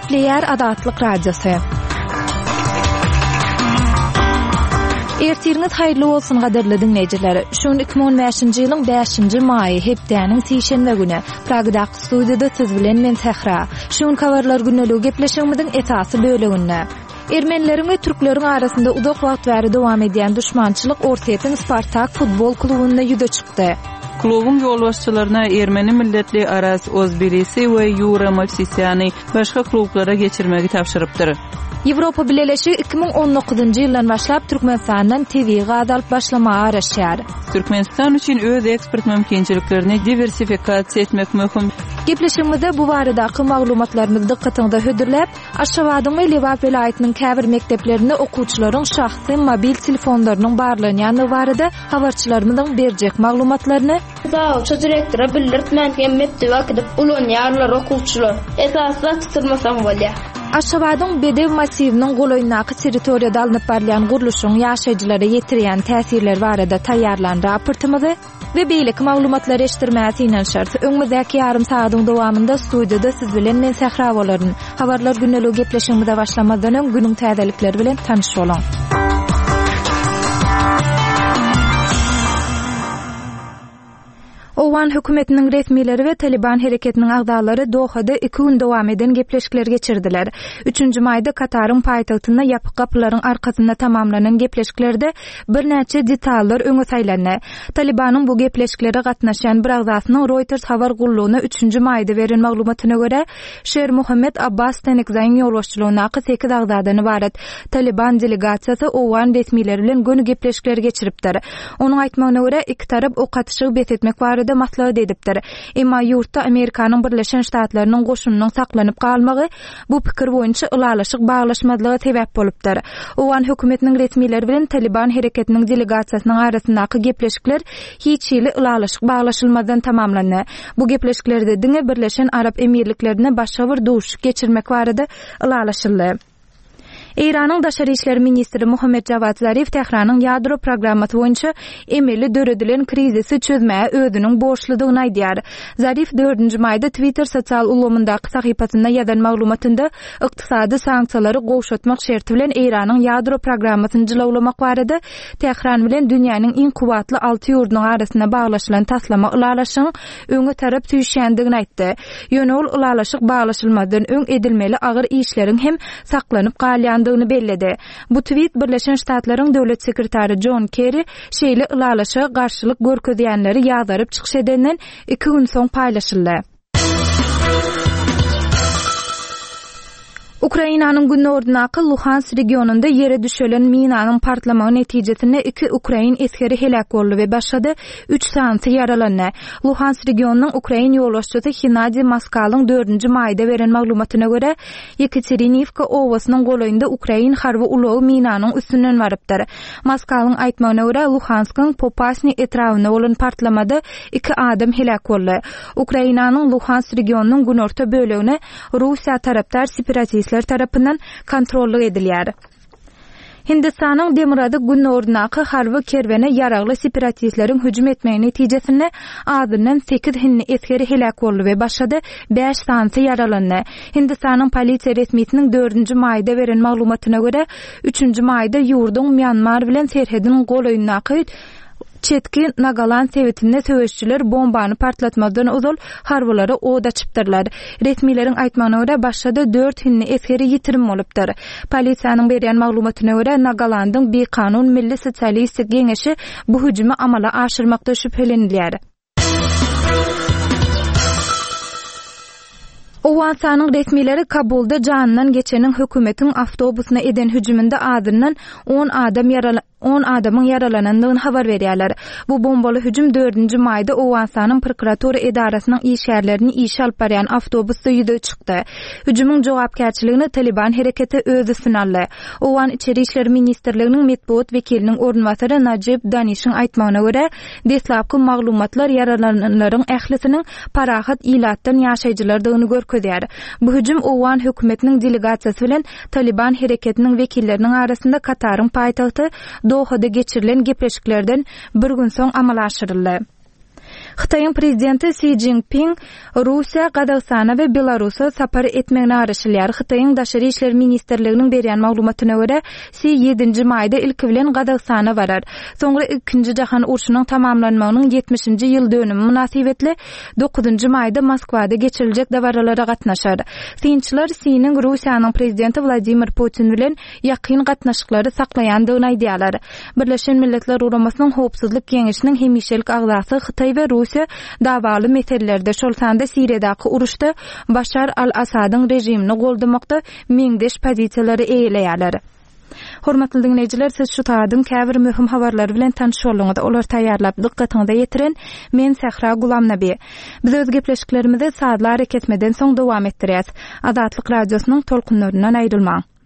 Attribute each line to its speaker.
Speaker 1: Gepleýär Azatlyk Radiosy. Ertiriňiz haýyrly bolsun gadyrly diňleýjiler. Şu gün 2015-nji ýylyň 5-nji maýy, hepdäniň sişenbe güni. Pragadaky studiýada siz bilen men Sähra. Şu günki habarlar gündeligi gepleşigimiziň esasy böleginde. Ermenileriň we türkleriň arasynda uzak wagt bäri dowam edýän duşmançylyk Orsýetiň Spartak futbol klubunda ýüze çykdy.
Speaker 2: Klubuň ýolbaşçylaryna ermeni milletli Aras Ozbilisi we Ýura Mowsisýany başga klublara geçirmegi tabşyrypdyr.
Speaker 1: Ýewropa Bileleşigi 2019-njy ýyldan başlap Türkmenistandan tebigy gaz alyp başlamaga garaşýar.
Speaker 2: Türkmenistan üçin öz eksport mümkinçiliklerini diwersifikasiýa etmek möhüm.
Speaker 1: Gepleşigimizde bu baradaky maglumatlarymyzy dykgatyňyza hödürläp, Aşgabadyň we Lebap welaýatynyň käbir mekdeplerinde okuwçylaryň şahsy mobil telefonlarynyň barlanýandygy barada habarçylarymyzyň berjek maglumatlaryny,
Speaker 3: Zawuça direktora bildirtmän hem mekdebe äkidip ulanýarlar okuwçylar. Esasy zat tutulmasaň bolýar.
Speaker 1: Aşgabadyň Bedew massiwiniň golaýyndaky territoriýada alnyp barylýan gurluşygyň ýaşaýjylara ýetirýän täsirleri barada taýýarlan raportymyzy, We beýleki maglumatlary eşitdirmäge synanyşarys. Öňümizdäki ýarym sagadyň dowamynda studiýada siz bilen men Sähra bolaryn. Habarlar gündeligi gepleşigimize başlamazdan öň günüň täzelikleri bilen tanyş boluň. Owgan hökümetiniň resmileri we Taliban hereketiniň agzalary Dohada iki gün dowam eden gepleşikleri geçirdiler. Üçünji maýda Kataryň paýtagtynda ýapyk gapylaryň arkasynda tamamlanan gepleşiklerde Birnäçe detallar öňe saýlandy. Talybanyň bu gepleşiklere gatnaşýan bir agzasynyň Reuters habar gullugyna üçünji maýda beren maglumatyna görä, Şer Muhammed Abbas Stanekzaýyň ýolbaşçylygyndaky sekiz agzadan ybarat Talyban delegasiýasy owgan resmileri bilen göni gepleşikleri geçiripdir. Onuň aýtmagyna görä, iki tarap ok atyşygy bes etmek barada maslahat edipdir. Emma ýurtda Amerikanyň Birleşen Ştatlarynyň goşunynyň saklanyp galmagy Bu pikir boýunça ylalaşyk baglaşmazlyga sebäp bolupdyr. Owgan hökümetiniň resmileri bilen Talyban hereketiniň delegasiýasynyň arasyndaky gepleşikler hiç hili ylalaşyk baglaşylmazdan tamamlandy. Bu gepleşiklerde diňe Birleşen Arap Emirliklerinde başga bir duşuşyk geçirmek barada ylalaşyldy. Eýranyň daşary işler ministri Mohammed Jawad Zarif Tähranyň ýadro programmasy boýunça emeli döredilen krizisi çözmäge özüniň borçludygyny aýdýar. Zarif dördünji maýda Twitter sosial ulgamyndaky sahypasynda ýazan maglumatynda ykdysady sanksiýalary gowşatmak şerti bilen Eýranyň ýadro programmasyny jylawlamak barada Tähran bilen dünýäniň iň kuwwatly alty ýurdunyň arasynda baglaşylan taslama ylalaşygyň öňe tarap süýşýändigini aýtdy. Ýöne ol ylalaşyk baglaşylmazdan öň edilmeli agyr işleriň hem saklanyp galýandygyny belledi. Bu twit Birleşen Ştatlaryň döwlet sekretary Jon Kerri şeýle ylalaşyga garşylyk görkezýänleri ýazgaryp çykyş edenden iki gün soň paýlaşyldy. Ukrainanyň günoryndaky Luhansk regionynda ýere düşelen minanyň partlamagy netijesinde iki ukrain esgeri heläk boldy we başga-da üç sanysy ýaralandy. Luhansk regionynyň ukrain ýolbaşçysy Hennadiý Moskalyň dördünji maýda beren maglumatyna görä, Ýekaterinivka obasynyň golaýynda ukrain harby ulagy minanyň üstünden barypdyr. Moskalyň aýtmagyna görä, Luhanskyň Popasnyý etrabynda bolan partlamada iki adam heläk boldy. Ukrainanyň Luhansk regionynyň günorta bölegine Russiýa tarapdar separatistler tarapyndan kontrollyk edilýär. Hindistanyň demirgazyk-gündogaryndaky harby kerwene ýaragly separatistleriň hüjüm etmegi netijesinde azyndan sekiz hindi esgeri heläk boldy we başga-da bäş sanysy ýaralandy. Hindistanyň polisiýa resmisiniň dördünji maýda beren maglumatyna görä, üçünji maýda ýurduň Mýanmar bilen serhediniň golaýyndaky Çetki Nagaland sebitinde söweşijiler bombany partlatmazdan ozal harbylara od açypdyrlar. Resmileriň aýtmagyna görä, başga-da dört hindi esgeri ýitirim bolupdyr. Polisiýanyň berýän maglumatyna görä, Nagalandyň bikanun Milli sosialistik geňeşi bu hüjümi amala aşyrmakda şübhelenilýär. Owganystanyň resmileri Kabulda janyndan geçeniň hökümetiň awtobusyna eden hüjüminde azyndan on adam on adamyň ýaralanandygyny habar berýärler. Bu bombaly hüjüm dördünji maýda Owganystanyň prokuratura edarasynyň işgärlerini işe alyp barýan awtobusda ýüze çykdy. Hüjümiň jogapkärçiligini Talyban hereketi öz üstüne aldy. Owgan Içeri işler ministrliginiň metbugat wekiliniň orunbasary Najib Danişiň aýtmagyna görä, deslapky maglumatlar ýaralananlaryň ählisiniň parahat ilatdan ýaşaýjylardygyny görkezýär. Bu hüjüm owgan hökümetiniň delegasiýasy bilen Talyban hereketiniň wekilleriniň arasynda Kataryň paýtagty Dohada geçirilen gepleşiklerden bir gün soň amala aşyryldy. Hytaýyň prezidenti Si Szinpin Russiýa, Gazagystana we Belarusa sapar etmegine garaşylýar. Hytaýyň Daşary işler ministrliginiň berýän maglumatyna görä, Si ýedinji maýda ilki bilen Gazagystana barar. Soňra Ikinji jahan urşunyň tamamlanmagynyň ýetmişinji ýyl dönümi mynasybetli dokuzynjy maýda Moskwada geçiriljek dabaralara gatnaşar. Synçylar Siniň Russiýanyň prezidenti Wladimir Putin bilen ýakyn gatnaşyklary saklaýandygyny aýdýarlar. Birleşen Milletler Guramasynyň Howpsuzlyk Geňeşiniň hemişelik agzasy Hytaý we Russiýa dawaly meselelerde, şol sanda Siriýadaky uruşda Başar al-Assadyň režimini goldamakda meňzeş pozisiýalary eýeleýärler. Hormatly diňleýjiler, siz şu sagadyň käbir möhüm habarlary bilen tanyş bolduňyz. Olary taýýarlap, dykgatyňyza ýetiren men Sähra Gulamnabi. Biz öz gepleşiklerimizi sazly arakesmeden soň dowam etdirýäs. Azatlyk Radiosynyň tolkunlaryndan aýrylmaň!